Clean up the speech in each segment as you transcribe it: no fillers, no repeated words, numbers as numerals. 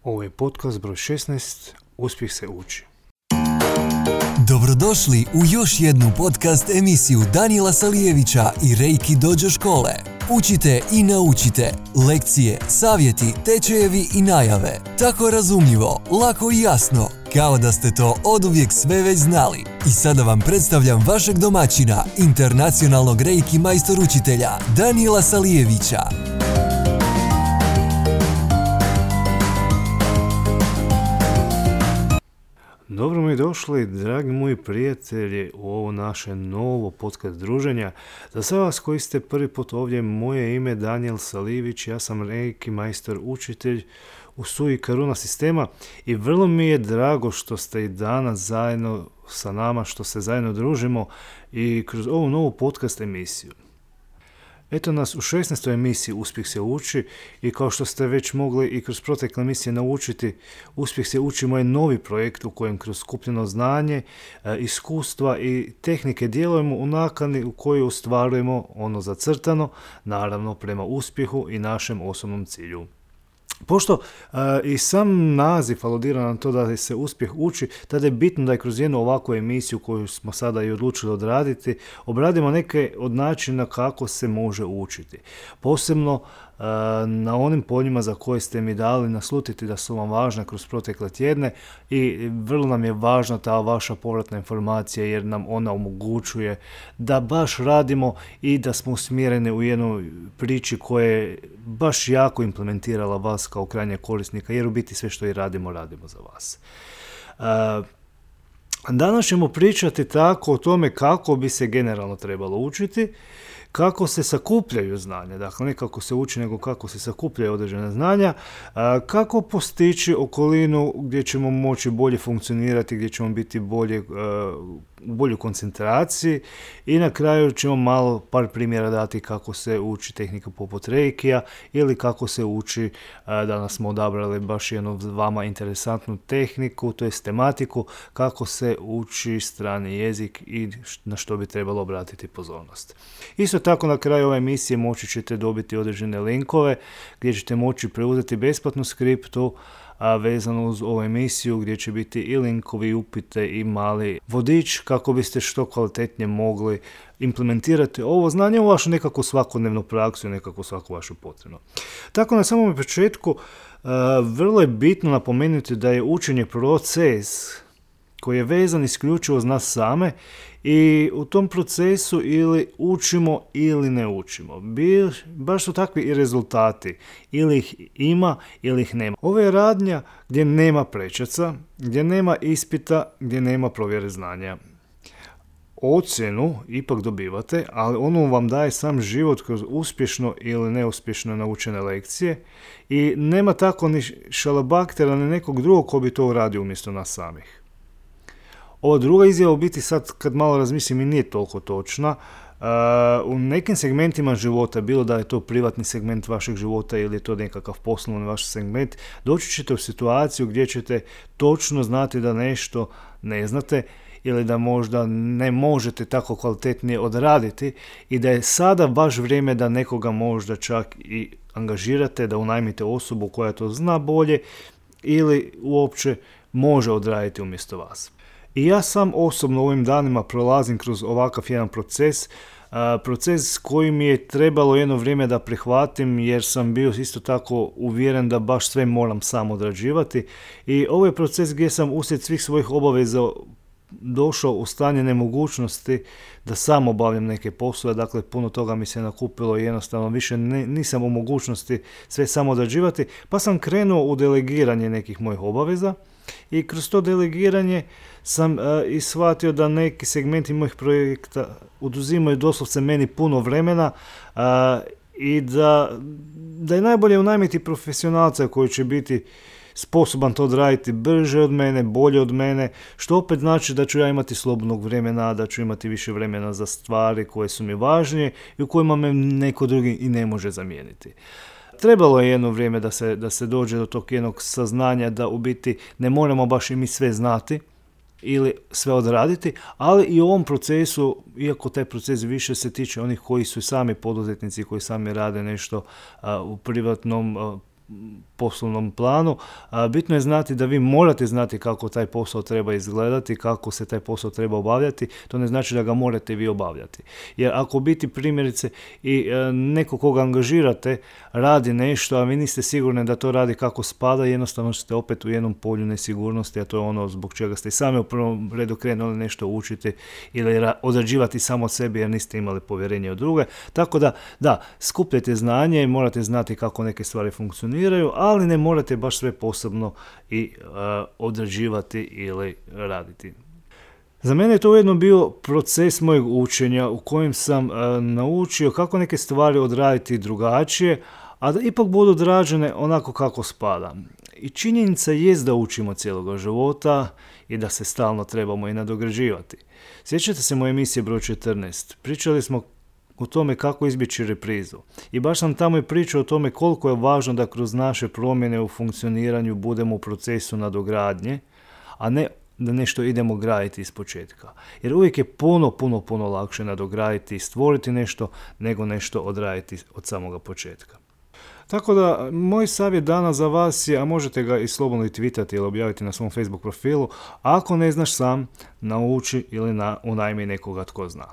Ovo je podcast broj 16, Uspjeh se uči. Dobrodošli u još jednu podcast emisiju Danijela Salijevića i Reiki Dojo škole. Učite i naučite. Lekcije, savjeti, tečajevi i najave. Tako razumljivo, lako i jasno, kao da ste to oduvijek sve već znali. I sada vam predstavljam vašeg domaćina, internacionalnog Reiki majstor učitelja, Danijela Salijevića. Dobro mi došli, dragi moji prijatelji, u ovo naše novo podcast druženja. Za sve vas koji ste prvi put ovdje, moje ime je Danijel Salijević, ja sam Reiki majstor učitelj u Sui Karuna sistema i vrlo mi je drago što ste i danas zajedno sa nama, što se zajedno družimo i kroz ovu novu podcast emisiju. Eto nas u 16. emisiji Uspjeh se uči i kao što ste već mogli i kroz protekle emisije naučiti, Uspjeh se uči moj novi projekt u kojem kroz skupljeno znanje, iskustva i tehnike djelujemo u nakani u kojoj ostvarujemo ono zacrtano, naravno prema uspjehu i našem osobnom cilju. Pošto i sam naziv aludira na to da se uspjeh uči, tada je bitno da je kroz jednu ovakvu emisiju koju smo sada i odlučili odraditi, obradimo neke od načina kako se može učiti. Posebno na onim poljima za koje ste mi dali naslutiti da su vam važne kroz protekle tjedne i vrlo nam je važna ta vaša povratna informacija jer nam ona omogućuje da baš radimo i da smo usmjereni u jednoj priči koja je baš jako implementirala vas kao krajnjeg korisnika, jer u biti sve što i radimo za vas. Danas ćemo pričati tako o tome kako bi se generalno trebalo učiti, kako se sakupljaju znanja, dakle ne kako se uči, nego kako se sakupljaju određene znanja, kako postići okolinu gdje ćemo moći bolje funkcionirati, gdje ćemo biti u boljoj koncentraciji i na kraju ćemo malo par primjera dati kako se uči tehnika poput Reikija ili kako se uči, danas smo odabrali baš jednu vama interesantnu tehniku, to je tematiku, kako se uči strani jezik i na što bi trebalo obratiti pozornost. Isto tako na kraju ove emisije moći ćete dobiti određene linkove gdje ćete moći preuzeti besplatnu skriptu vezano uz ovu emisiju gdje će biti i linkovi, upite i mali vodič kako biste što kvalitetnije mogli implementirati ovo znanje u vašu nekakvu svakodnevnu praksu i nekakvu svaku vašu potrebu. Tako na samom početku vrlo je bitno napomenuti da je učenje proces koji je vezan isključivo uz nas same i u tom procesu ili učimo ili ne učimo. Baš su takvi i rezultati. Ili ih ima ili ih nema. Ovo je radnja gdje nema prečaca, gdje nema ispita, gdje nema provjere znanja. Ocjenu ipak dobivate, ali ono vam daje sam život kroz uspješno ili neuspješno naučene lekcije i nema tako ni šalabaktera ni nekog drugog ko bi to uradio umjesto nas samih. Ova druga izjava u biti sad kad malo razmislim i nije toliko točna. U nekim segmentima života, bilo da je to privatni segment vašeg života ili je to nekakav poslovni vaš segment, doći ćete u situaciju gdje ćete točno znati da nešto ne znate ili da možda ne možete tako kvalitetnije odraditi i da je sada baš vrijeme da nekoga možda čak i angažirate, da unajmite osobu koja to zna bolje ili uopće može odraditi umjesto vas. I ja sam osobno u ovim danima prolazim kroz ovakav jedan proces koji mi je trebalo jedno vrijeme da prihvatim jer sam bio isto tako uvjeren da baš sve moram sam odrađivati i ovo je proces gdje sam uslijed svih svojih obaveza došao u stanje nemogućnosti da sam obavljam neke poslove, dakle puno toga mi se nakupilo i jednostavno više nisam u mogućnosti sve sam odrađivati, pa sam krenuo u delegiranje nekih mojih obaveza i kroz to delegiranje sam i shvatio da neki segmenti mojih projekta oduzimaju doslovce meni puno vremena i da je najbolje unajmiti profesionalca koji će biti sposoban to odraditi brže od mene, bolje od mene, što opet znači da ću ja imati slobodnog vremena, da ću imati više vremena za stvari koje su mi važnije i u kojima me neko drugi i ne može zamijeniti. Trebalo je jedno vrijeme da se dođe do tog jednog saznanja da u biti ne moramo baš i mi sve znati ili sve odraditi, ali i u ovom procesu, iako taj proces više se tiče onih koji su sami poduzetnici, koji sami rade nešto u privatnom poslovnom planu. Bitno je znati da vi morate znati kako taj posao treba izgledati, kako se taj posao treba obavljati. To ne znači da ga morate vi obavljati. Jer ako biti primjerice i neko koga angažirate radi nešto, a vi niste sigurni da to radi kako spada, jednostavno ste opet u jednom polju nesigurnosti, a to je ono zbog čega ste i sami u prvom redu krenuli nešto učiti ili odrađivati samo od sebi jer niste imali povjerenje u druge. Tako da, skupljajte znanje i morate znati kako neke stvari funkcioniraju, ali ne morate baš sve posebno i odrađivati ili raditi. Za mene je to ujedno bio proces mojeg učenja u kojem sam naučio kako neke stvari odraditi drugačije, a da ipak budu odrađene onako kako spada. I činjenica jest da učimo cijeloga života i da se stalno trebamo i nadograđivati. Sjećate se moje emisije broj 14? Pričali smo o tome kako izbjeći reprizu. I baš sam tamo i pričao o tome koliko je važno da kroz naše promjene u funkcioniranju budemo u procesu nadogradnje, a ne da nešto idemo graditi iz početka. Jer uvijek je puno lakše nadograditi i stvoriti nešto nego nešto odraditi od samoga početka. Tako da, moj savjet danas za vas je, a možete ga i slobodno i tweetati ili objaviti na svom Facebook profilu, ako ne znaš sam, nauči ili unajmi nekoga tko zna.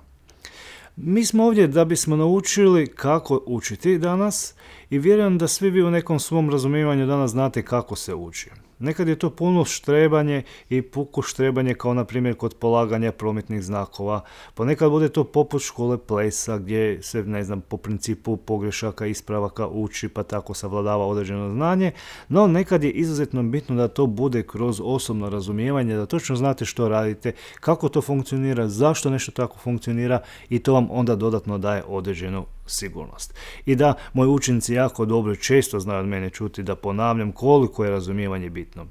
Mi smo ovdje da bismo naučili kako učiti danas i vjerujem da svi vi u nekom svom razumijevanju danas znate kako se uči. Nekad je to puno štrebanje i puko štrebanje kao na primjer kod polaganja prometnih znakova. Ponekad bude to poput škole plesa gdje se po principu pogrešaka, ispravaka uči pa tako savladava određeno znanje. No nekad je izuzetno bitno da to bude kroz osobno razumijevanje, da točno znate što radite, kako to funkcionira, zašto nešto tako funkcionira i to vam onda dodatno daje određenu sigurnost. I da, moji učenici jako dobro i često znaju od mene čuti da ponavljam koliko je razumijevanje bitno.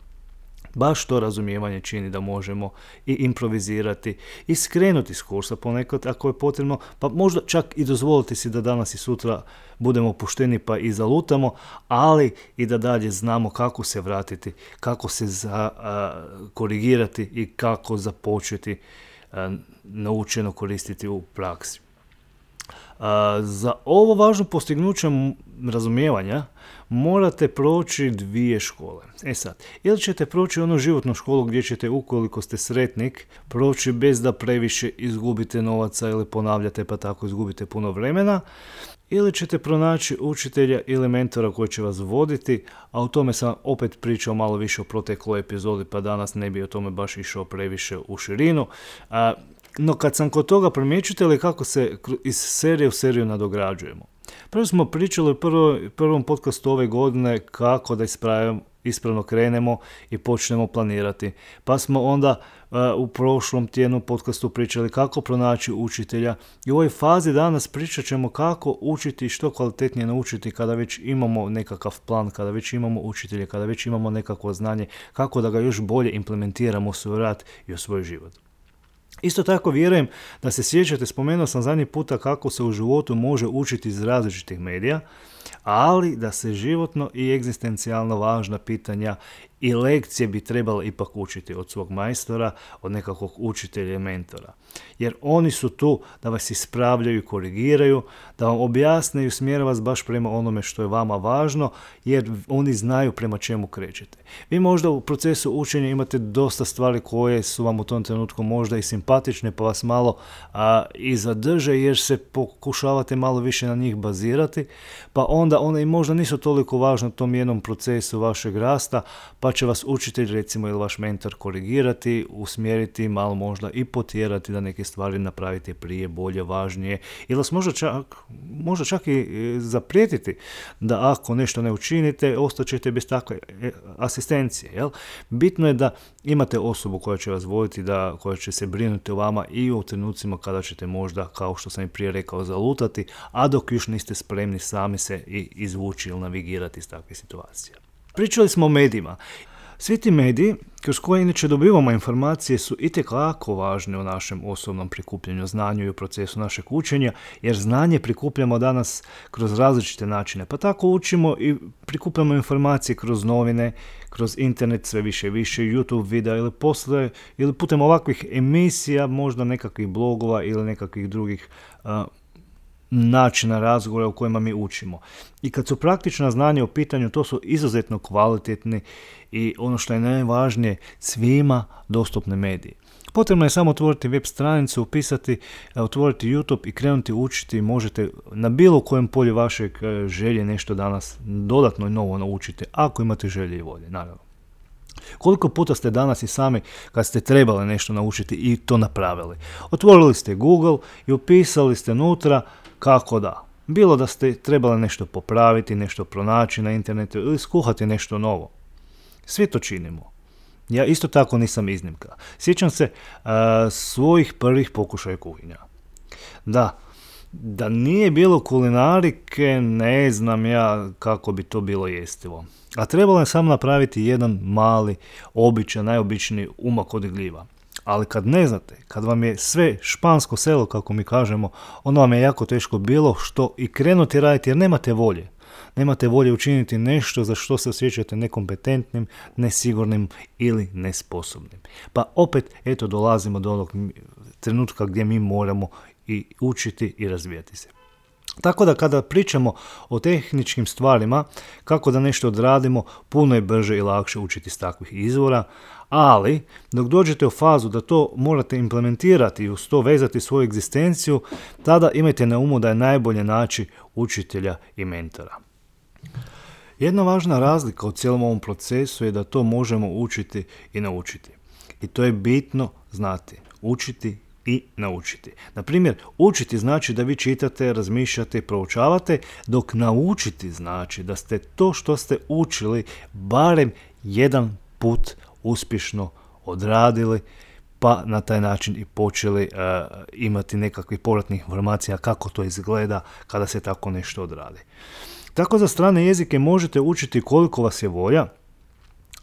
Baš to razumijevanje čini da možemo i improvizirati i skrenuti s kursa ponekad ako je potrebno, pa možda čak i dozvoliti si da danas i sutra budemo pušteni pa i zalutamo, ali i da dalje znamo kako se vratiti, kako se korigirati i kako započeti naučeno koristiti u praksi. Za ovo važno postignuće razumijevanja morate proći 2 škole. Sad, ili ćete proći onu životnu školu gdje ćete, ukoliko ste sretnik, proći bez da previše izgubite novaca ili ponavljate pa tako izgubite puno vremena, ili ćete pronaći učitelja ili mentora koji će vas voditi, a o tome sam opet pričao malo više u protekloj epizodi, pa danas ne bi o tome baš išao previše u širinu. No kad sam kod toga, primjećujete li kako se iz serije u seriju nadograđujemo? Prvo smo pričali u prvom podcastu ove godine kako da ispravno krenemo i počnemo planirati. Pa smo onda u prošlom tjednu podcastu pričali kako pronaći učitelja i u ovoj fazi danas pričat ćemo kako učiti i što kvalitetnije naučiti kada već imamo nekakav plan, kada već imamo učitelje, kada već imamo nekakvo znanje, kako da ga još bolje implementiramo u svoj rad i u svoj život. Isto tako vjerujem da se sjećate, spomenuo sam zadnji puta kako se u životu može učiti iz različitih medija, ali da se životno i egzistencijalno važna pitanja i lekcije bi trebalo ipak učiti od svog majstora, od nekakvog učitelja i mentora. Jer oni su tu da vas ispravljaju i korigiraju, da vam objasne i usmjere vas baš prema onome što je vama važno, jer oni znaju prema čemu krećete. Vi možda u procesu učenja imate dosta stvari koje su vam u tom trenutku možda i simpatične, pa vas malo i zadrže jer se pokušavate malo više na njih bazirati, pa onda one i možda nisu toliko važne u tom jednom procesu vašeg rasta, pa će vas učitelj recimo ili vaš mentor korigirati, usmjeriti, malo možda i potjerati da neke stvari napravite prije, bolje, važnije ili vas možda čak i zaprijetiti da ako nešto ne učinite, ostaćete bez takve asistencije. Jel? Bitno je da imate osobu koja će vas voditi, koja će se brinuti o vama i u trenucima kada ćete možda, kao što sam i prije rekao, zalutati, a dok još niste spremni sami se i izvući ili navigirati iz takve situacije. Pričali smo o medijima. Svi ti mediji, kroz koje inače dobivamo informacije, su itekako važne u našem osobnom prikupljanju znanja i u procesu našeg učenja, jer znanje prikupljamo danas kroz različite načine. Pa tako učimo i prikupljamo informacije kroz novine, kroz internet sve više i više, YouTube videa ili putem ovakvih emisija, možda nekakvih blogova ili nekakvih drugih načina razgovora u kojima mi učimo. I kad su praktična znanja u pitanju, to su izuzetno kvalitetni i ono što je najvažnije, svima dostupne mediji. Potrebno je samo otvoriti web stranicu, upisati, otvoriti YouTube i krenuti učiti. Možete na bilo kojem polju vašeg želje nešto danas dodatno i novo naučiti, ako imate želje i volje, naravno. Koliko puta ste danas i sami, kad ste trebali nešto naučiti, i to napravili? Otvorili ste Google i upisali ste unutra kako da. Bilo da ste trebali nešto popraviti, nešto pronaći na internetu ili skuhati nešto novo. Svi to činimo. Ja isto tako nisam iznimka. Sjećam se svojih prvih pokušaja kuhinja. Da nije bilo kulinarike, ne znam ja kako bi to bilo jestivo. A trebalo je samo napraviti jedan mali, običan, najobičniji umak od gljiva. Ali kad ne znate, kad vam je sve špansko selo, kako mi kažemo, onda vam je jako teško bilo što i krenuti raditi jer nemate volje. Nemate volje učiniti nešto za što se osjećate nekompetentnim, nesigurnim ili nesposobnim. Pa opet, eto, dolazimo do onog trenutka gdje mi moramo i učiti i razvijati se. Tako da kada pričamo o tehničkim stvarima, kako da nešto odradimo, puno je brže i lakše učiti s takvih izvora, ali dok dođete u fazu da to morate implementirati i uz to vezati svoju egzistenciju, tada imajte na umu da je najbolje naći učitelja i mentora. Jedna važna razlika u cijelom ovom procesu je da to možemo učiti i naučiti. I to je bitno znati. Učiti i naučiti. Na primjer, učiti znači da vi čitate, razmišljate i proučavate, dok naučiti znači da ste to što ste učili barem jedan put uspješno odradili, pa na taj način i počeli imati nekakvih povratnih informacija kako to izgleda kada se tako nešto odradi. Tako za strane jezike možete učiti koliko vas je volja,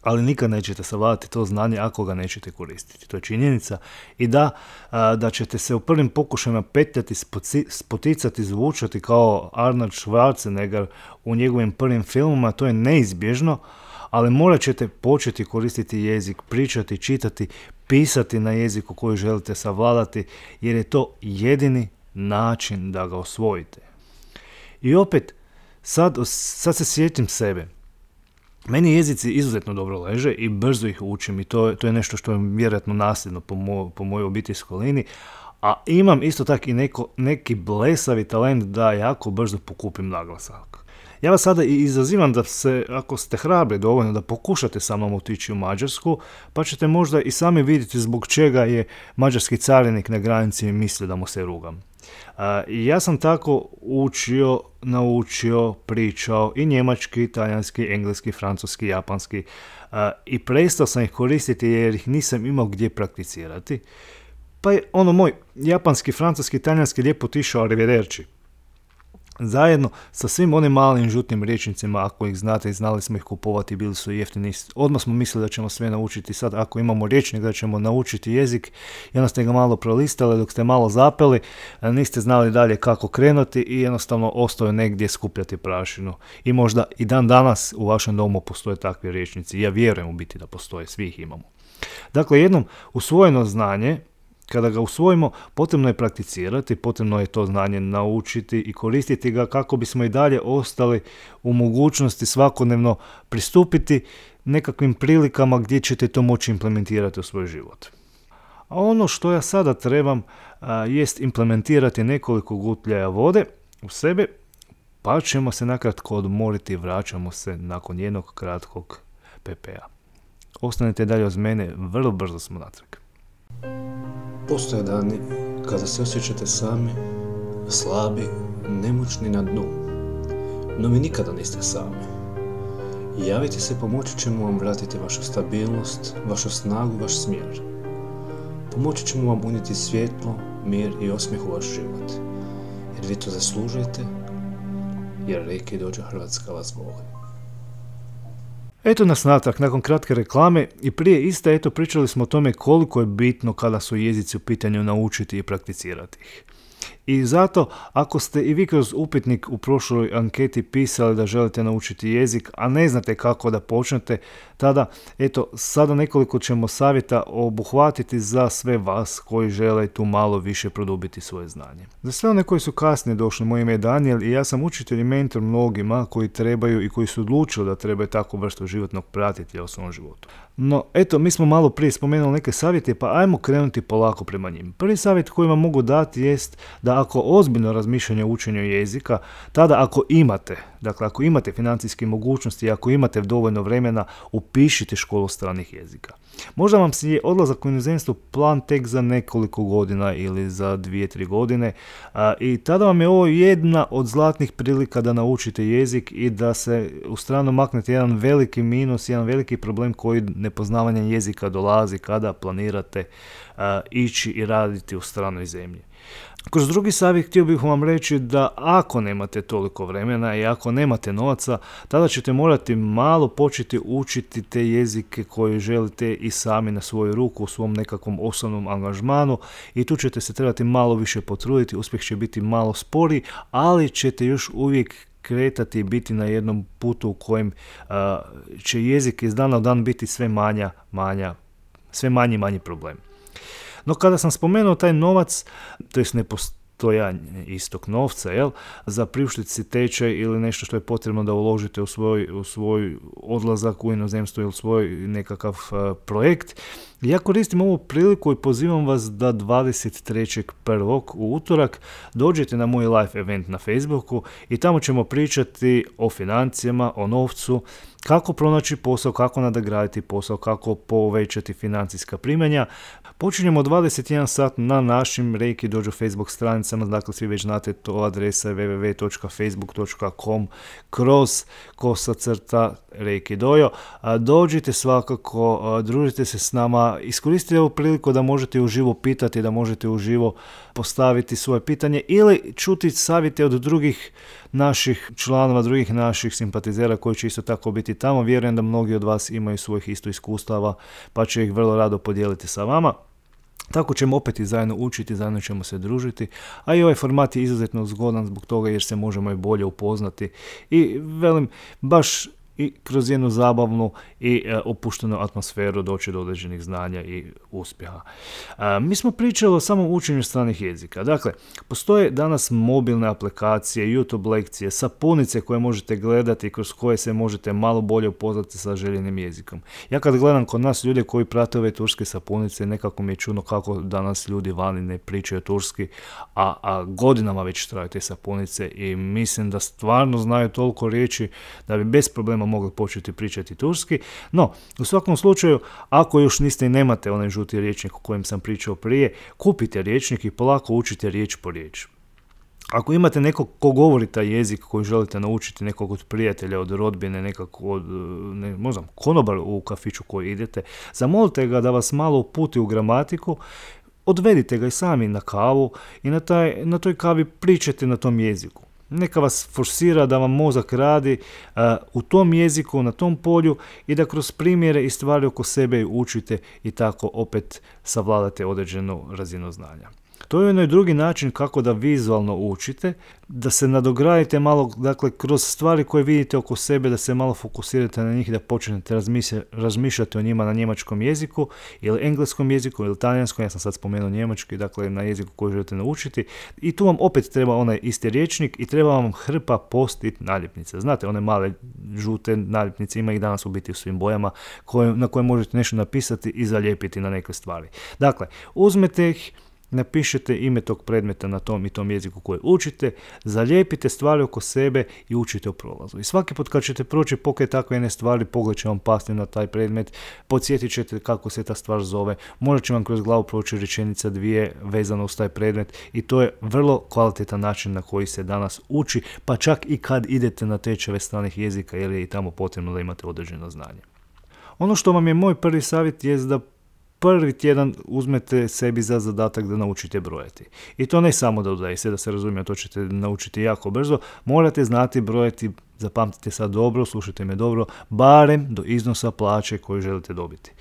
ali nikad nećete savladati to znanje ako ga nećete koristiti. To je činjenica. I da ćete se u prvim pokušajima petljati, spoticati, zvučati kao Arnold Schwarzenegger u njegovim prvim filmima, to je neizbježno, ali morat ćete početi koristiti jezik, pričati, čitati, pisati na jeziku koji želite savladati, jer je to jedini način da ga osvojite. I opet, sad se sjetim sebe. Meni jezici izuzetno dobro leže i brzo ih učim i to je nešto što je vjerojatno nasljedno po mojoj obiteljskoj liniji, a imam isto tako i neki blesavi talent da jako brzo pokupim naglasak. Ja vas sada i izazivam da se, ako ste hrabri dovoljno, da pokušate sa mnom otići u Mađarsku, pa ćete možda i sami vidjeti zbog čega je mađarski carinik na granici i misli da mu se rugam. Ja sam tako učio, naučio, pričao i njemački, talijanski, engleski, francuski, japanski i prestao sam ih koristiti jer ih nisam imao gdje prakticirati. Pa je moj japanski, francuski, talijanski lijepo otišao arrivederci. Zajedno sa svim onim malim žutnim rječnicima, ako ih znate i znali smo ih kupovati, bili su jeftini. Odmah smo mislili da ćemo sve naučiti. Sad ako imamo rječnik da ćemo naučiti jezik, i onda ste ga malo prolistali, dok ste malo zapeli, niste znali dalje kako krenuti i jednostavno ostao negdje skupljati prašinu. I možda i dan danas u vašem domu postoje takvi rječnici. Ja vjerujem u biti da postoje, svi ih imamo. Dakle, jednom usvojeno znanje, kada ga usvojimo, potrebno je prakticirati, potrebno je to znanje naučiti i koristiti ga kako bismo i dalje ostali u mogućnosti svakodnevno pristupiti nekakvim prilikama gdje ćete to moći implementirati u svoj život. A ono što ja sada trebam jest implementirati nekoliko gutljaja vode u sebe, pa ćemo se nakratko odmoriti i vraćamo se nakon jednog kratkog PP-a. Ostanite dalje uz mene, vrlo brzo smo natrag. Postoje dani kada se osjećate sami, slabi, nemoćni na dnu, no vi nikada niste sami. Javite se, pomoći ćemo vam vratiti vašu stabilnost, vašu snagu, vaš smjer. Pomoći ćemo vam unijeti svjetlo, mir i osmijeh u vaš život, jer vi to zaslužujete, jer Reiki Dojo Hrvatska vas voli. Eto nas natrag, nakon kratke reklame i prije iste, pričali smo o tome koliko je bitno kada su jezici u pitanju naučiti i prakticirati ih. I zato, ako ste i vi kroz upitnik u prošloj anketi pisali da želite naučiti jezik, a ne znate kako da počnete, tada, eto, sada nekoliko ćemo savjeta obuhvatiti za sve vas koji žele tu malo više produbiti svoje znanje. Za sve one koji su kasnije došli, moje ime je Daniel i ja sam učitelj i mentor mnogima koji trebaju i koji su odlučili da trebaju takvu vrstu životnog pratitelja u svom životu. No, eto, mi smo malo prije spomenuli neke savjete, pa ajmo krenuti polako prema njim. Prvi savjet koji vam mogu dati jest da ako ozbiljno razmišljanje o učenju jezika, tada ako imate financijske mogućnosti i ako imate dovoljno vremena, upišite školu stranih jezika. Možda vam se je odlazak u inozemstvo plan tek za nekoliko godina ili za 2-3 godine i tada vam je ovo jedna od zlatnih prilika da naučite jezik i da se u stranu maknete jedan veliki minus, jedan veliki problem koji nepoznavanjem jezika dolazi kada planirate ići i raditi u stranoj zemlji. Kroz drugi savjet htio bih vam reći da ako nemate toliko vremena i ako nemate novaca, tada ćete morati malo početi učiti te jezike koje želite i sami na svoju ruku u svom nekakvom osobnom angažmanu i tu ćete se trebati malo više potruditi, uspjeh će biti malo sporiji, ali ćete još uvijek kretati i biti na jednom putu u kojem će jezik iz dana u dan biti sve manji problem. No kada sam spomenuo taj novac, to je nepostojanje istog novca, za priuštiti si tečaj ili nešto što je potrebno da uložite u svoj odlazak u inozemstvo ili svoj nekakav projekt, ja koristim ovu priliku i pozivam vas da 23.1. u utorak dođete na moj live event na Facebooku i tamo ćemo pričati o financijama, o novcu, kako pronaći posao, kako nadograditi posao, kako povećati financijska primanja. Počinjemo 21 sat na našim Reiki Dojo Facebook stranicama, dakle svi već znate, to adresa je www.facebook.com/Reiki Dojo. Dođite svakako, družite se s nama, iskoristite ovu priliku da možete uživo pitati, da možete uživo postaviti svoje pitanje ili čuti savjete od drugih naših članova, drugih naših simpatizera koji će isto tako biti tamo. Vjerujem da mnogi od vas imaju svojih isto iskustava pa će ih vrlo rado podijeliti sa vama. Tako ćemo opet i zajedno učiti, zajedno ćemo se družiti, a i ovaj format je izuzetno zgodan zbog toga jer se možemo i bolje upoznati i velim, baš i kroz jednu zabavnu i opuštenu atmosferu doći do određenih znanja i uspjeha. Mi smo pričali o samom učenju stranih jezika. Dakle, postoje danas mobilne aplikacije, YouTube lekcije, sapunice koje možete gledati i kroz koje se možete malo bolje upoznati sa željenim jezikom. Ja kad gledam kod nas ljude koji prate ove turske sapunice, nekako mi je čudno kako danas ljudi vani ne pričaju turski, a godinama već traju te sapunice i mislim da stvarno znaju toliko riječi da bi bez problema mogli početi pričati turski. No, u svakom slučaju, ako još niste i nemate onaj žuti rječnik o kojem sam pričao prije, kupite rječnik i polako učite riječ po riječ. Ako imate nekog ko govori taj jezik koji želite naučiti, nekog od prijatelja, od rodbine, nekog od konobar u kafiću koji idete, zamolite ga da vas malo uputi u gramatiku, odvedite ga i sami na kavu i na toj kavi pričajte na tom jeziku. Neka vas forsira da vam mozak radi u tom jeziku, na tom polju i da kroz primjere i stvari oko sebe učite i tako opet savladate određenu razinu znanja. To je jedan drugi način kako da vizualno učite, da se nadogradite malo, dakle, kroz stvari koje vidite oko sebe, da se malo fokusirate na njih, da počnete razmišljati o njima na njemačkom jeziku ili engleskom jeziku ili talijanskom, ja sam sad spomenuo njemački, dakle na jeziku koji želite naučiti. I tu vam opet treba onaj isti rječnik i treba vam hrpa post-it naljepnice. Znate, one male žute naljepnice, ima ih danas u biti u svim bojama, na koje možete nešto napisati i zalijepiti na neke stvari. Dakle, uzmete ih, napišete ime tog predmeta na tom i tom jeziku koji učite, zalijepite stvari oko sebe i učite u prolazu. I svaki put kad ćete proći pokraj takve jedne stvari, pogled će vam pasti na taj predmet, podsjetit ćete kako se ta stvar zove, možda će vam kroz glavu proći rečenica dvije vezano uz taj predmet i to je vrlo kvalitetan način na koji se danas uči, pa čak i kad idete na tečajeve stranih jezika jer je i tamo potrebno da imate određeno znanje. Ono što vam je moj prvi savjet je da prvi tjedan uzmete sebi za zadatak da naučite brojati. I to ne samo da dodaje se, da se razumije, to ćete naučiti jako brzo. Morate znati brojati zapamtite sad dobro, slušajte me dobro, barem do iznosa plaće koju želite dobiti.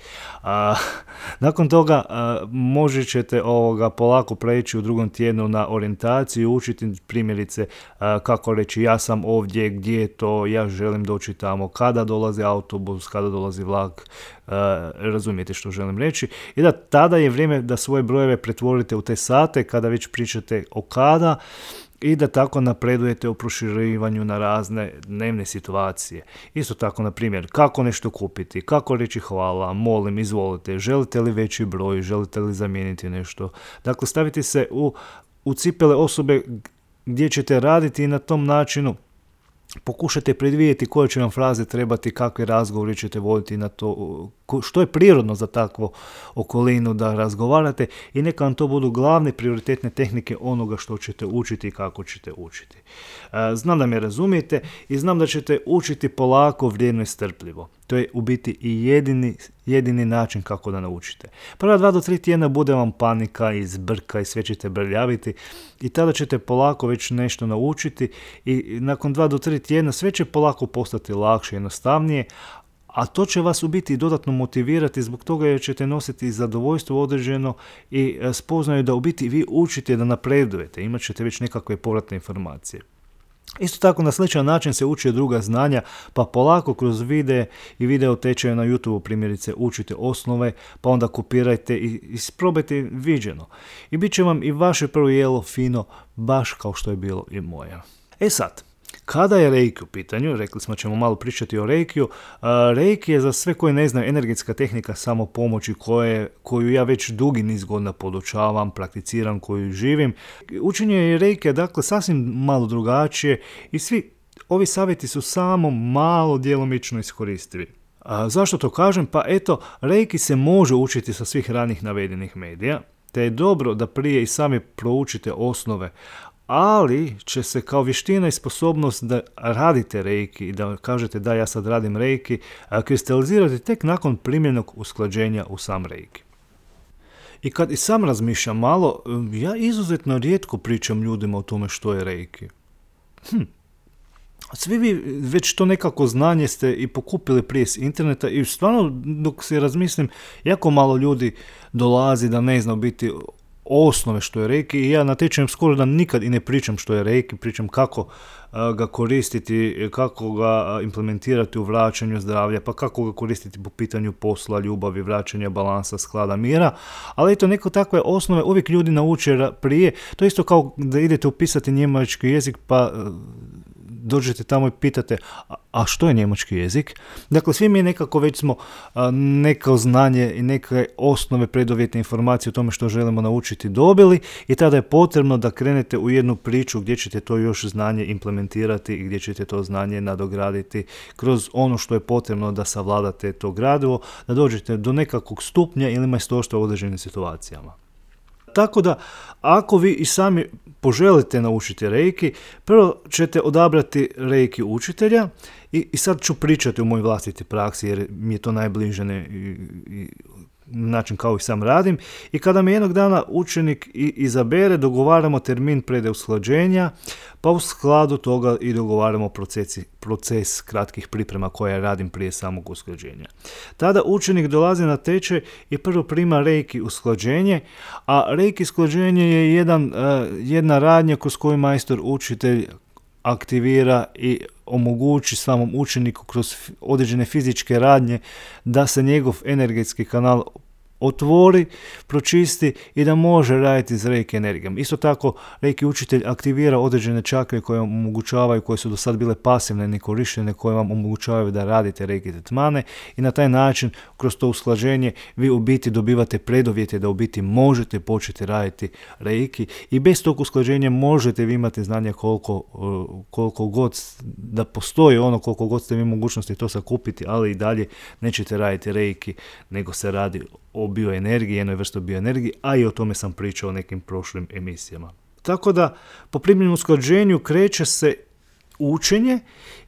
Nakon toga možete ćete polako preći u drugom tjednu na orijentaciju, učiti primjerice kako reći ja sam ovdje, gdje je to, ja želim doći tamo, kada dolazi autobus, kada dolazi vlak, razumijete što želim reći. I da tada je vrijeme da svoje brojeve pretvorite u te sate kada već pričate o kada, i da tako napredujete u proširivanju na razne dnevne situacije. Isto tako, na primjer, kako nešto kupiti, kako reći hvala, molim, izvolite, želite li veći broj, želite li zamijeniti nešto. Dakle, stavite se u cipele osobe gdje ćete raditi i na tom načinu pokušajte predvidjeti koje će vam fraze trebati, kakve razgovore ćete voditi na to, što je prirodno za takvu okolinu da razgovarate, i neka vam to budu glavne prioritetne tehnike onoga što ćete učiti i kako ćete učiti. Znam da me razumijete i znam da ćete učiti polako, vrijedno i strpljivo. To je u biti i jedini način kako da naučite. Prva 2 do 3 tjedna bude vam panika i zbrka i sve ćete brljaviti i tada ćete polako već nešto naučiti i nakon 2 do 3 tjedna sve će polako postati lakše, jednostavnije, a to će vas u biti dodatno motivirati zbog toga jer ćete nositi zadovoljstvo određeno i spoznaju da u biti vi učite da napredujete, imat ćete već nekakve povratne informacije. Isto tako na sličan način se uče druga znanja, pa polako kroz videe i video tečaje na YouTube primjerice učite osnove, pa onda kopirajte i isprobajte viđeno. I bit će vam i vaše prvo jelo fino, baš kao što je bilo i moje. E sad, kada je reiki u pitanju, rekli smo ćemo malo pričati o reikiju. Reiki je za sve koji ne znaju energetska tehnika samopomoći koju ja već dugi niz godina podučavam, prakticiram, koju živim. Učenje reikija dakle sasvim malo drugačije i svi ovi savjeti su samo malo djelomično iskoristivi. Zašto to kažem? Pa eto, reiki se može učiti sa svih ranih navedenih medija, te je dobro da prije i sami proučite osnove, ali će se kao vještina i sposobnost da radite reiki i da kažete da ja sad radim reiki, kristalizirati tek nakon primjerenog usklađenja u sam reiki. I kad i sam razmišljam malo, ja izuzetno rijetko pričam ljudima o tome što je reiki. Svi vi već to nekako znanje ste i pokupili prije s interneta i stvarno dok se razmislim, jako malo ljudi dolazi da ne zna biti osnove što je reiki i ja na tečajem skoro da nikad i ne pričam što je reiki, pričam kako ga koristiti, kako ga implementirati u vraćanju zdravlja, pa kako ga koristiti po pitanju posla, ljubavi, vraćanja balansa, sklada, mira, ali eto neko takve osnove uvijek ljudi nauče prije, to isto kao da idete upisati njemački jezik pa dođete tamo i pitate a što je njemački jezik? Dakle, svi mi nekako već smo neko znanje i neke osnove preduvjetne informacije o tome što želimo naučiti dobili i tada je potrebno da krenete u jednu priču gdje ćete to još znanje implementirati i gdje ćete to znanje nadograditi kroz ono što je potrebno da savladate to gradivo, da dođete do nekakvog stupnja ili majstorstva u određenim situacijama. Tako da, ako vi i sami poželite naučiti reiki, prvo ćete odabrati reiki učitelja i sad ću pričati o mojoj vlastiti praksi jer mi je to najbliže i način kao i sam radim. I kada me jednog dana učenik izabere, dogovaramo termin predusklađenja, pa u skladu toga i dogovaramo proces kratkih priprema koje radim prije samog usklađenja. Tada učenik dolazi na tečaj i prvo prima reiki usklađenje, a reiki usklađenje je jedna radnja kroz koju majstor učitelj aktivira i omogući samom učeniku kroz određene fizičke radnje da se njegov energetski kanal otvori, pročisti i da može raditi s reiki energijom. Isto tako, reiki učitelj aktivira određene čakre koje vam omogućavaju, koje su do sad bile pasivne, nekorištene, koje vam omogućavaju da radite reiki tretmane i na taj način, kroz to usklađenje, vi u biti dobivate preduvjete da u biti možete početi raditi reiki i bez tog usklađenja možete vi imati znanje koliko god da postoji koliko god ste vi mogućnosti to sakupiti, ali i dalje nećete raditi reiki, nego se radi o bioenergiji, jednoj vrsti bioenergiji, a i o tome sam pričao u nekim prošlim emisijama. Tako da, po primljenom usklađenju kreće se učenje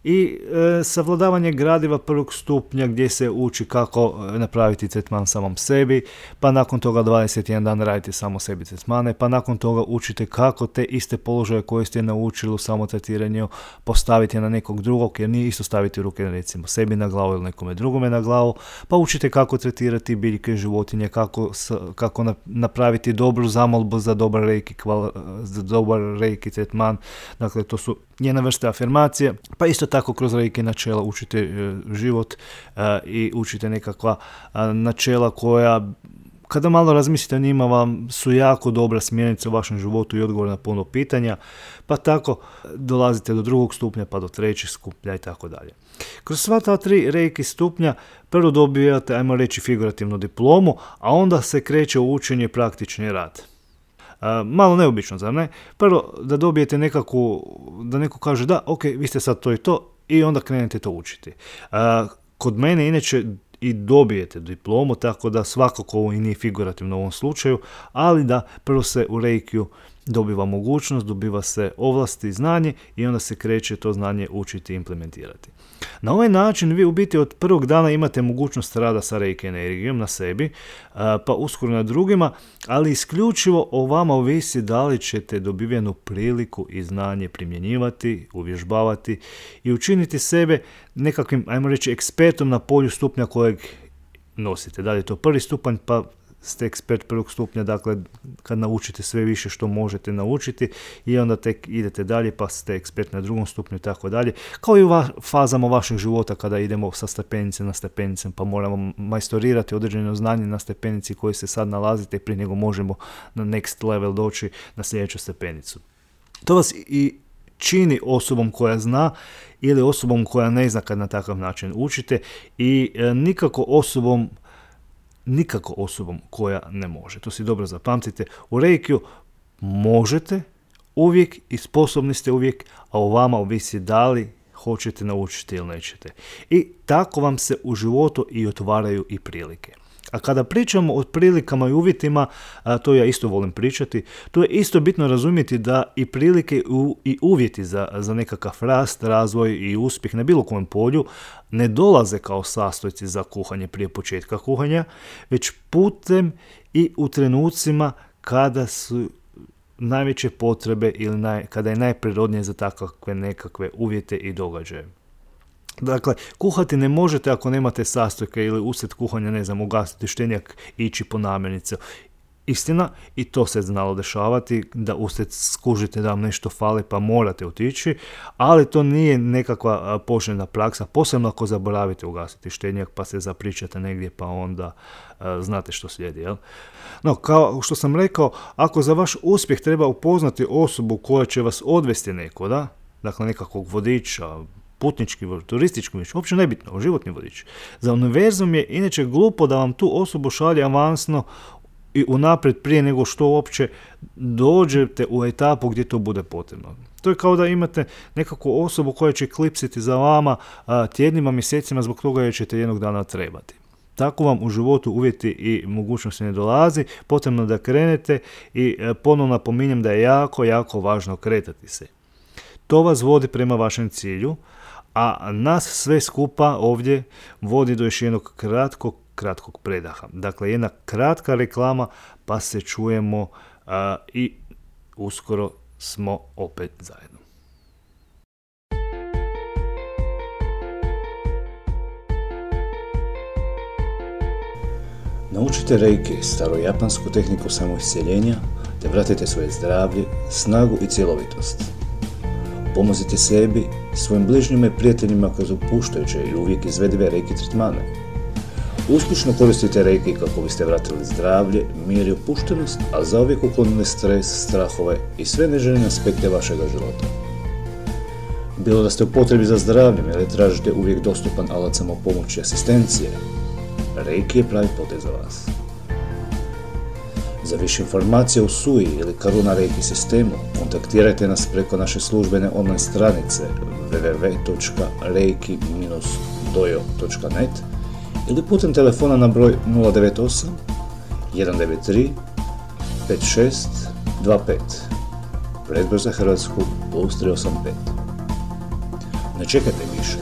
i savladavanje gradiva prvog stupnja gdje se uči kako napraviti tretman samom sebi, pa nakon toga 21 dan radite samo sebi tretmane, pa nakon toga učite kako te iste položaje koje ste naučili u samotretiranju postaviti na nekog drugog, jer nije isto staviti ruke recimo sebi na glavu ili nekome drugome na glavu, pa učite kako tretirati biljke, životinje, kako napraviti dobru zamolbu za dobar reiki tretman. Dakle, to su njena vrsta afirmacije, pa isto tako kroz reiki načela učite život i učite nekakva načela koja, kada malo razmislite o njima, vam su jako dobra smjernica u vašem životu i odgovor na puno pitanja, pa tako dolazite do drugog stupnja, pa do trećeg stupnja i tako dalje. Kroz sva ta 3 reiki stupnja prvo dobijate, ajmo reći, figurativnu diplomu, a onda se kreće u učenje i praktični rad. Malo neobično, zar ne? Prvo da dobijete da neko kaže da, ok, vi ste sad to i to, i onda krenete to učiti. Kod mene inače i dobijete diplomu, tako da svakako ovo i nije figurativno u ovom slučaju, ali da prvo se u reikiju dobiva mogućnost, dobiva se ovlasti i znanje i onda se kreće to znanje učiti i implementirati. Na ovaj način vi u biti od prvog dana imate mogućnost rada sa reiki energijom na sebi, pa uskoro na drugima, ali isključivo o vama ovisi da li ćete dobivenu priliku i znanje primjenjivati, uvježbavati i učiniti sebe nekakvim, ajmo reći, ekspertom na polju stupnja kojeg nosite. Da li je to prvi stupanj, pa ste ekspert prvog stupnja, dakle kad naučite sve više što možete naučiti i onda tek idete dalje pa ste ekspert na drugom stupnju i tako dalje. Kao i u fazama vašeg života kada idemo sa stepenice na stepenice pa moramo majstorirati određeno znanje na stepenici koji se sad nalazite prije nego možemo na next level doći na sljedeću stepenicu. To vas i čini osobom koja zna ili osobom koja ne zna kad na takav način učite i nikako osobom koja ne može. To si dobro zapamtite. U reikiju možete uvijek i sposobni ste uvijek, a o vama ovisi da li hoćete naučiti ili nećete. I tako vam se u životu i otvaraju i prilike. A kada pričamo o prilikama i uvjetima, to ja isto volim pričati, to je isto bitno razumjeti da i prilike i uvjeti za nekakav rast, razvoj i uspjeh na bilo kojem polju ne dolaze kao sastojci za kuhanje prije početka kuhanja, već putem i u trenucima kada su najveće potrebe ili kada je najprirodnije za takve nekakve uvjete i događaje. Dakle, kuhati ne možete ako nemate sastojke ili usred kuhanja, ne znam, ugasiti štenjak i ići po namirnicu. Istina, i to se znalo dešavati, da usred skužite da vam nešto fali pa morate otići, ali to nije nekakva poželjna praksa, posebno ako zaboravite ugasiti štenjak pa se zapričate negdje pa onda znate što slijedi. Jel? No, kao što sam rekao, ako za vaš uspjeh treba upoznati osobu koja će vas odvesti nekuda, dakle nekakvog vodiča, putnički, turistički vodič, uopće nebitno, životni vodič. Za univerzum je inače glupo da vam tu osobu šalje avansno i unaprijed prije nego što uopće dođete u etapu gdje to bude potrebno. To je kao da imate nekakvu osobu koja će klipsiti za vama tjednima, mjesecima zbog toga jer ćete jednog dana trebati. Tako vam u životu uvjeti i mogućnosti ne dolazi, potrebno da krenete i ponovno napominjem da je jako, jako važno kretati se. To vas vodi prema vašem cilju, a nas sve skupa ovdje vodi do još jednog kratkog predaha. Dakle, jedna kratka reklama, pa se čujemo i uskoro smo opet zajedno. Naučite reiki, starojapansku tehniku samoiscjeljenja, te vratite svoje zdravlje, snagu i cjelovitost. Pomozite sebi, svojim bližnjima i prijateljima kroz opuštajuće i uvijek izvedive reiki tretmane. Uspješno koristite reiki kako biste vratili zdravlje, mir i opuštenost, a zauvijek uklonili stres, strahove i sve neželjene aspekte vašega života. Bilo da ste u potrebi za zdravljem ili tražite uvijek dostupan alat samopomoći i asistencije, reiki je pravi potez za vas. Za više informacija o SUI ili Karuna Reiki sistemu kontaktirajte nas preko naše službene online stranice www.reiki-dojo.net ili putem telefona na broj 098 193 5625, predbroj za Hrvatsku +385. Ne čekajte više.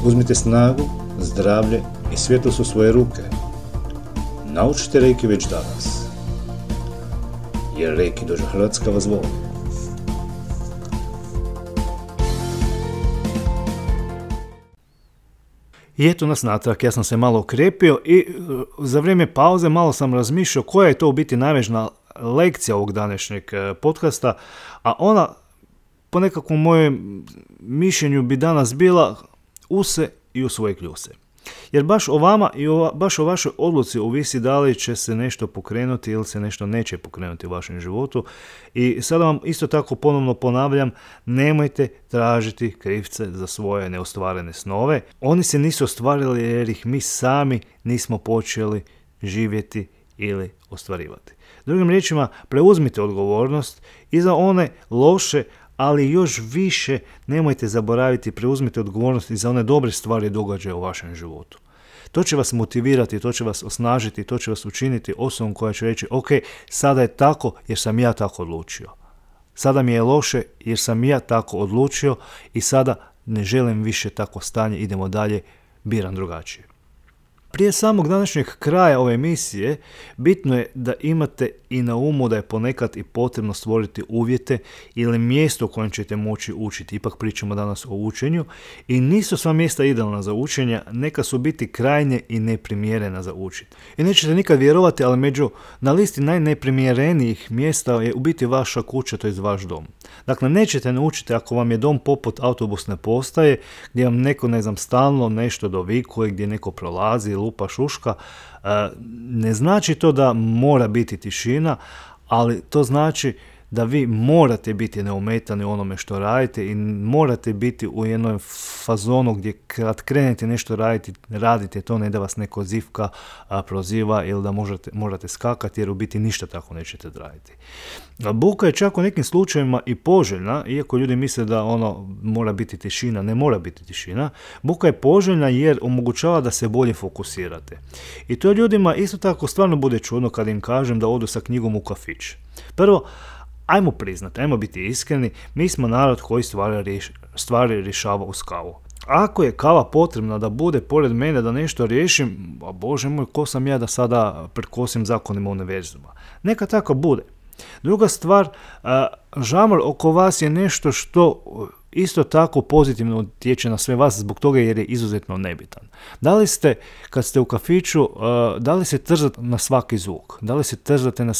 Uzmite snagu, zdravlje i svjetlost u svoje ruke. Naučite Reiki već danas. Jer Reiki Dojo Hrvatska vas voli. I eto nas natrag, ja sam se malo okrepio i za vrijeme pauze malo sam razmišljao koja je to u biti najvažnija lekcija ovog današnjeg podcasta, a ona po nekakvom mojem mišljenju bi danas bila u se i u svoje kljuse. Jer baš o vama i baš o vašoj odluci ovisi da li će se nešto pokrenuti ili se nešto neće pokrenuti u vašem životu. I sada vam isto tako ponovno ponavljam, nemojte tražiti krivce za svoje neostvarene snove. Oni se nisu ostvarili jer ih mi sami nismo počeli živjeti ili ostvarivati. Drugim riječima, preuzmite odgovornost i za one loše, ali još više nemojte zaboraviti, preuzmite odgovornost i za one dobre stvari događaje u vašem životu. To će vas motivirati, to će vas osnažiti, to će vas učiniti osobom koja će reći ok, sada je tako jer sam ja tako odlučio. Sada mi je loše jer sam ja tako odlučio i sada ne želim više takvo stanje, idemo dalje, biram drugačije. Prije samog današnjeg kraja ove emisije, bitno je da imate i na umu da je ponekad i potrebno stvoriti uvjete ili mjesto u kojem ćete moći učiti. Ipak pričamo danas o učenju i nisu sva mjesta idealna za učenje, neka su biti krajnje i neprimjerena za učiti. I nećete nikad vjerovati, ali na listi najneprimjerenijih mjesta je u biti vaša kuća, to je vaš dom. Dakle, nećete naučiti ako vam je dom poput autobusne postaje, gdje vam neko, stalno nešto dovikuje, gdje neko prolazi, lupa, šuška. Ne znači to da mora biti tišina, ali to znači da vi morate biti neometani u onome što radite i morate biti u jednom fazonu gdje kad krenete nešto radite to, ne da vas neko zivka, proziva ili da morate skakati, jer u biti ništa tako nećete raditi. Buka je čak u nekim slučajevima i poželjna, iako ljudi misle da mora biti tišina, ne mora biti tišina. Buka je poželjna jer omogućava da se bolje fokusirate. I to ljudima isto tako stvarno bude čudno kad im kažem da odu sa knjigom u kafić. Prvo, ajmo priznati, ajmo biti iskreni, mi smo narod koji stvari rješava uz kavu. Ako je kava potrebna da bude pored mene da nešto riješim, a Bože moj, ko sam ja da sada prekosim zakonima univerzuma? Neka tako bude. Druga stvar, žamor oko vas je nešto što isto tako pozitivno utječe na sve vas zbog toga jer je izuzetno nebitan. Da li ste, kad ste u kafiću, da li se trzate na svaki zvuk? Da li se trzate na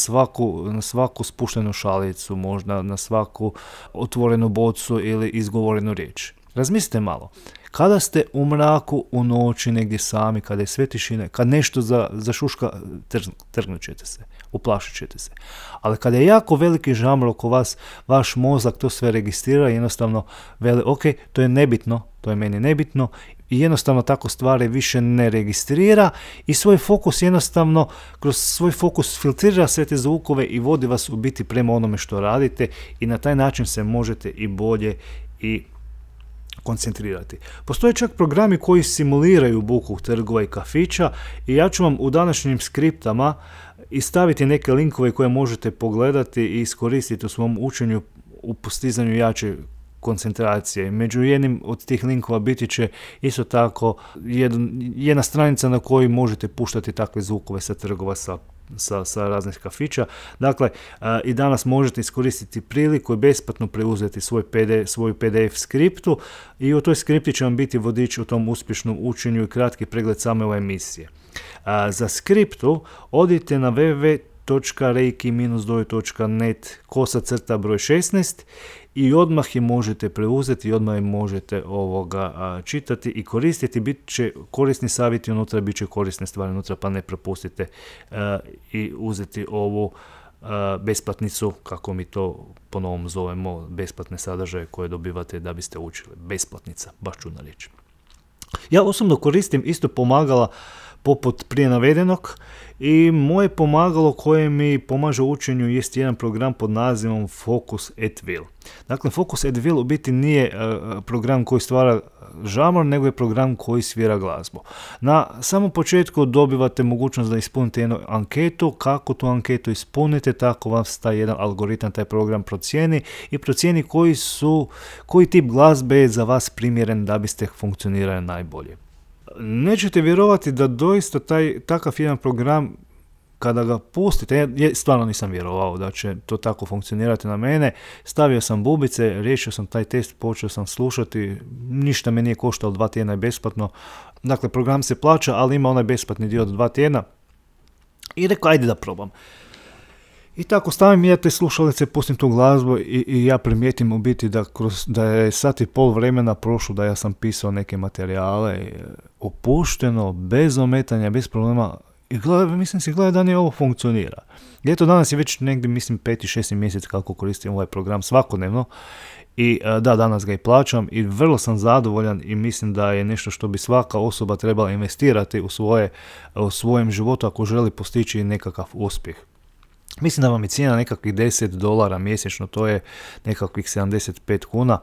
svaku spuštenu šalicu, možda na svaku otvorenu bocu ili izgovorenu riječ? Razmislite malo. Kada ste u mraku, u noći, negdje sami, kada je sve tišina, kad nešto zašuška, trgnut ćete se, uplašit ćete se. Ali kada je jako veliki žamor oko vas, vaš mozak to sve registrira i jednostavno veli, ok, to je nebitno, to je meni nebitno, i jednostavno tako stvari više ne registrira i svoj fokus jednostavno, kroz svoj fokus filtrira sve te zvukove i vodi vas u biti prema onome što radite i na taj način se možete i bolje i koncentrirati. Postoje čak programi koji simuliraju buku trgova i kafića i ja ću vam u današnjim skriptama i staviti neke linkove koje možete pogledati i iskoristiti u svom učenju u postizanju jače koncentracije. Među jednim od tih linkova biti će isto tako jedna stranica na kojoj možete puštati takve zvukove sa trgova, sa raznih kafića. Dakle, i danas možete iskoristiti priliku i besplatno preuzeti svoju PDF skriptu i u toj skripti će vam biti vodič u tom uspješnom učenju i kratki pregled same ove emisije. Za skriptu odite na www.reiki-dojo.net /broj 16 i odmah je možete preuzeti i odmah je možete čitati i koristiti. Bit će korisni savjeti unutra, bit će korisne stvari unutra, pa ne propustite i uzeti ovu besplatnicu, kako mi to po novom zovemo, besplatne sadržaje koje dobivate da biste učili. Besplatnica, baš čudna riječ. Ja osobno koristim isto pomagala poput prije navedenog. I moje pomagalo koje mi pomaže u učenju jest jedan program pod nazivom Focus at Will. Dakle, Focus at Will u biti nije program koji stvara žamor, nego je program koji svira glazbu. Na samom početku dobivate mogućnost da ispunite jednu anketu. Kako tu anketu ispunite, tako vas taj jedan algoritam, taj program procijeni i procijeni koji tip glazbe je za vas primjeren da biste funkcionirali najbolje. Nećete vjerovati da doista takav jedan program, kada ga pustite, ja stvarno nisam vjerovao da će to tako funkcionirati na mene, stavio sam bubice, riješio sam taj test, počeo sam slušati, ništa me nije koštalo, 2 tjedna je besplatno, dakle program se plaća, ali ima onaj besplatni dio od 2 tjedna i rekao ajde da probam. I tako stavim ja te slušalice, pustim tu glazbu i ja primijetim u biti da je sat i pol vremena prošlo da ja sam pisao neke materijale opušteno, bez ometanja, bez problema. I gledaj da nije ovo funkcionira. I eto danas je već negdje, mislim, 5. 6. mjesec kako koristim ovaj program svakodnevno. I da, danas ga i plaćam i vrlo sam zadovoljan i mislim da je nešto što bi svaka osoba trebala investirati u svojem životu ako želi postići nekakav uspjeh. Mislim da vam je cijena nekakvih $10 mjesečno, to je nekakvih 75 kuna.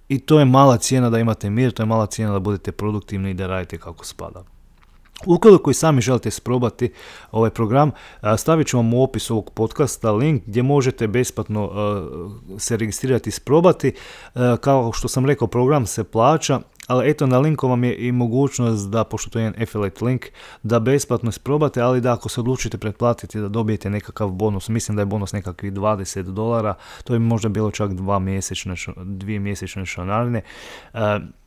I to je mala cijena da imate mir, to je mala cijena da budete produktivni i da radite kako spada. Ukoliko i sami želite isprobati ovaj program, stavit ću vam u opis ovog podcasta link gdje možete besplatno se registrirati i isprobati. Kao što sam rekao, program se plaća, ali eto na linku vam je i mogućnost da, pošto to je jedan affiliate link, da besplatno isprobate, ali da ako se odlučite pretplatiti da dobijete nekakav bonus, mislim da je bonus nekakvih $20, to je možda bilo čak 2 mjesečne članarine.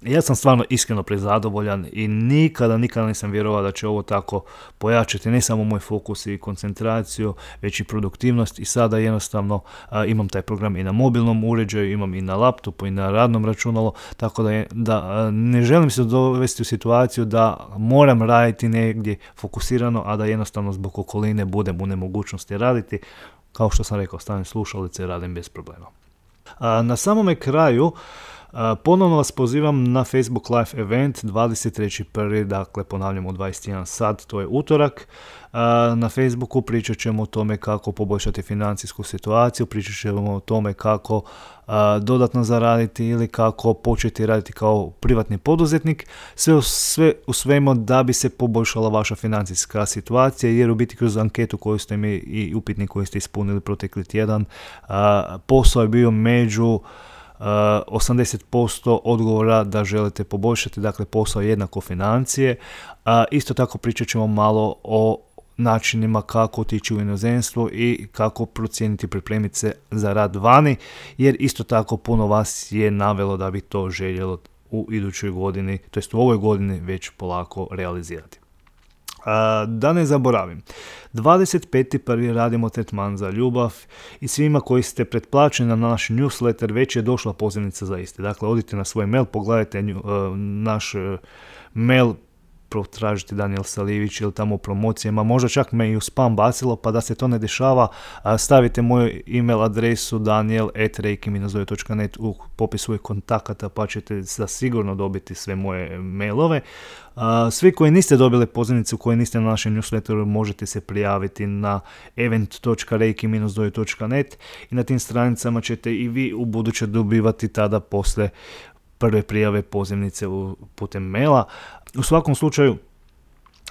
Ja sam stvarno iskreno prezadovoljan i nikada nisam vjerovao da će ovo tako pojačati ne samo moj fokus i koncentraciju, već i produktivnost i sada jednostavno imam taj program i na mobilnom uređaju, imam i na laptopu i na radnom računalu, tako da ne želim se dovesti u situaciju da moram raditi negdje fokusirano, a da jednostavno zbog okoline budem u nemogućnosti raditi. Kao što sam rekao, stavim slušalice i radim bez problema. Na samome kraju ponovno vas pozivam na Facebook Live event 23.1. Dakle, ponavljam u 21 sat, to je utorak. Na Facebooku pričat ćemo o tome kako poboljšati financijsku situaciju, pričat ćemo o tome kako dodatno zaraditi ili kako početi raditi kao privatni poduzetnik, sve u svemu da bi se poboljšala vaša financijska situacija, jer u biti kroz anketu koju ste mi i upitnik koji ste ispunili protekli tjedan, posao je bio među 80% odgovora da želite poboljšati, dakle posao je jednako financije. Isto tako pričat ćemo malo o načinima kako otići u inozemstvo i kako procijeniti, pripremiti se za rad vani, jer isto tako puno vas je navelo da bi to željelo u idućoj godini, to jest u ovoj godini već polako realizirati. Da ne zaboravim, 25.1. radimo tretman za ljubav i svima koji ste pretplaćeni na naš newsletter već je došla pozivnica za isti. Dakle, odite na svoj mail, pogledajte naš mail, tražite Daniel Salijević ili tamo u promocijama, možda čak me i u spam bacilo, pa da se to ne dešava, stavite moju email adresu daniel@reiki-net u popis svojih kontakata, pa ćete sigurno dobiti sve moje mailove. Svi koji niste dobili pozivnicu, koji niste na našem newsletteru, možete se prijaviti na event.reiki-net i na tim stranicama ćete i vi u buduće dobivati tada posle prve prijave pozivnice putem maila. U svakom slučaju,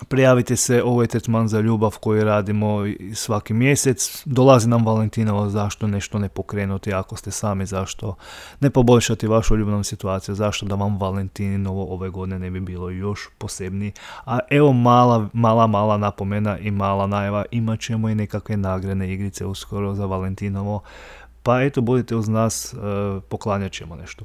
prijavite se, ovo je tretman za ljubav koji radimo svaki mjesec. Dolazi nam Valentinovo, zašto nešto ne pokrenuti ako ste sami, zašto ne poboljšati vašu ljubavnu situaciju, zašto da vam Valentinovo ove godine ne bi bilo još posebniji. A evo mala napomena i mala najava, imat ćemo i nekakve nagradne igrice uskoro za Valentinovo, pa eto budite uz nas, poklanjat ćemo nešto.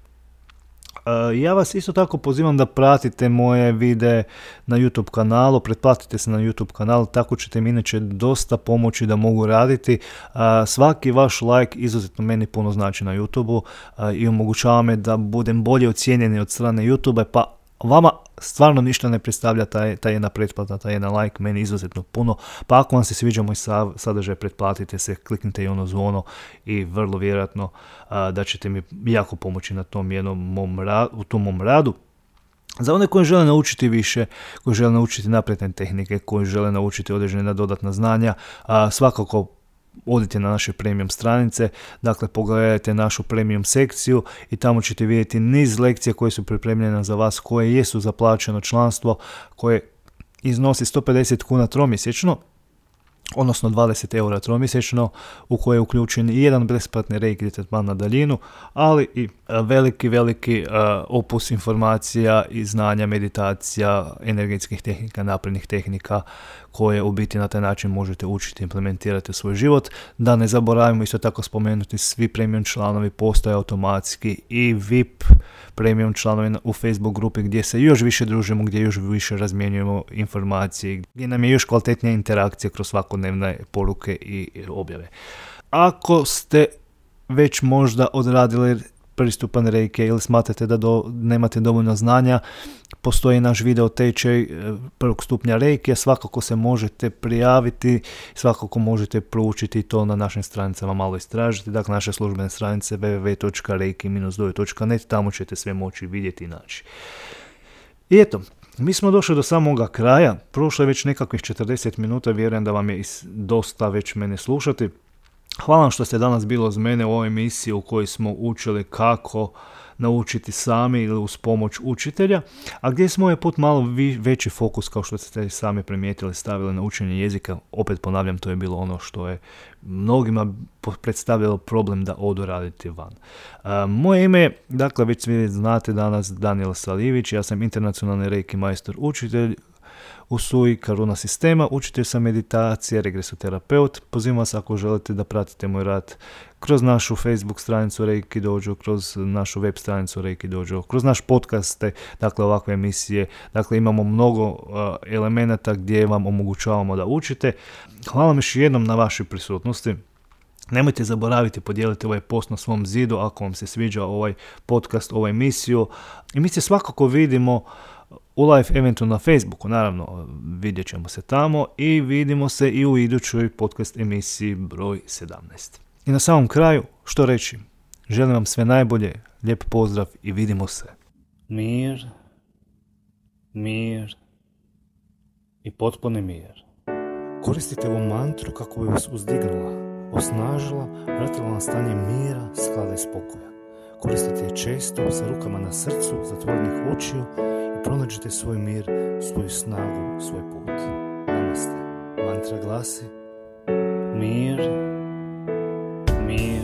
Ja vas isto tako pozivam da pratite moje videe na YouTube kanalu, pretplatite se na YouTube kanal, tako ćete mi inače dosta pomoći da mogu raditi. Svaki vaš like izuzetno meni puno znači na YouTubeu i omogućava me da budem bolje ocijenjeni od strane YouTube, pa vama stvarno ništa ne predstavlja ta jedna pretplata, ta jedan like, meni izuzetno puno. Pa ako vam se sviđa moj sadržaj, pretplatite se, kliknite i ono zvono i vrlo vjerojatno da ćete mi jako pomoći na tom jednom mom radu. Za one koji žele naučiti više, koji žele naučiti napredne tehnike, koji žele naučiti određena dodatna znanja, svakako odite na naše premium stranice, dakle pogledajte našu premium sekciju i tamo ćete vidjeti niz lekcija koje su pripremljene za vas, koje jesu za plaćeno članstvo, koje iznosi 150 kuna tromjesečno, odnosno 20 eura tromjesečno, u koje je uključen i jedan besplatni reiki tretman na daljinu, ali i veliki opus informacija i znanja, meditacija, energetskih tehnika, naprednih tehnika koje u biti na taj način možete učiti, implementirati u svoj život. Da ne zaboravimo isto tako spomenuti, svi premium članovi postoje automatski i VIP premium članovi u Facebook grupi gdje se još više družimo, gdje još više razmjenjujemo informacije, gdje nam je još kvalitetnija interakcija kroz svakodnevne poruke i objave. Ako ste već možda odradili pristupan reiki ili smatrate da nemate dovoljno znanja, postoji naš video tečaj prvog stupnja reiki, svakako se možete prijaviti, svakako možete proučiti to na našim stranicama, malo istražiti, dakle naše službene stranice www.reiki-dojo.net, tamo ćete sve moći vidjeti i naći. I eto, mi smo došli do samoga kraja, prošlo je već nekakvih 40 minuta, vjerujem da vam je dosta već mene slušati. Hvala vam što ste danas bili uz mene u ovoj emisiji u kojoj smo učili kako naučiti sami ili uz pomoć učitelja, a gdje smo ovaj put malo veći fokus, kao što ste sami primijetili, stavili na učenje jezika. Opet ponavljam, to je bilo ono što je mnogima predstavljalo problem da odu raditi van. Moje ime je, dakle već svi znate danas, Danijel Salijević, ja sam internacionalni reiki majstor učitelj u SUI Karuna sistema, učitelj sam meditacije, regresoterapeut. Pozivam vas ako želite da pratite moj rad kroz našu Facebook stranicu Reiki Dojo, kroz našu web stranicu Reiki Dojo, kroz naš podcaste, dakle ovakve emisije. Dakle imamo mnogo elemenata gdje vam omogućavamo da učite. Hvala vam još jednom na vašoj prisutnosti. Nemojte zaboraviti podijeliti ovaj post na svom zidu ako vam se sviđa ovaj podcast, ovu emisiju. I mi se svakako vidimo u live eventu na Facebooku, naravno vidjet ćemo se tamo i vidimo se i u idućoj podcast emisiji broj 17. I na samom kraju, što reći, želim vam sve najbolje, lijep pozdrav i vidimo se. Mir, mir i potpuni mir. Koristite ovu mantru kako bi vas uzdignula, osnažila, vratila na stanje mira, sklada i spokoja. Koristite je često sa rukama na srcu, zatvorenih očiju, pronađite svoj mir, svoju snagu, svoj put. Namaste. Mantra glasi: mir, mir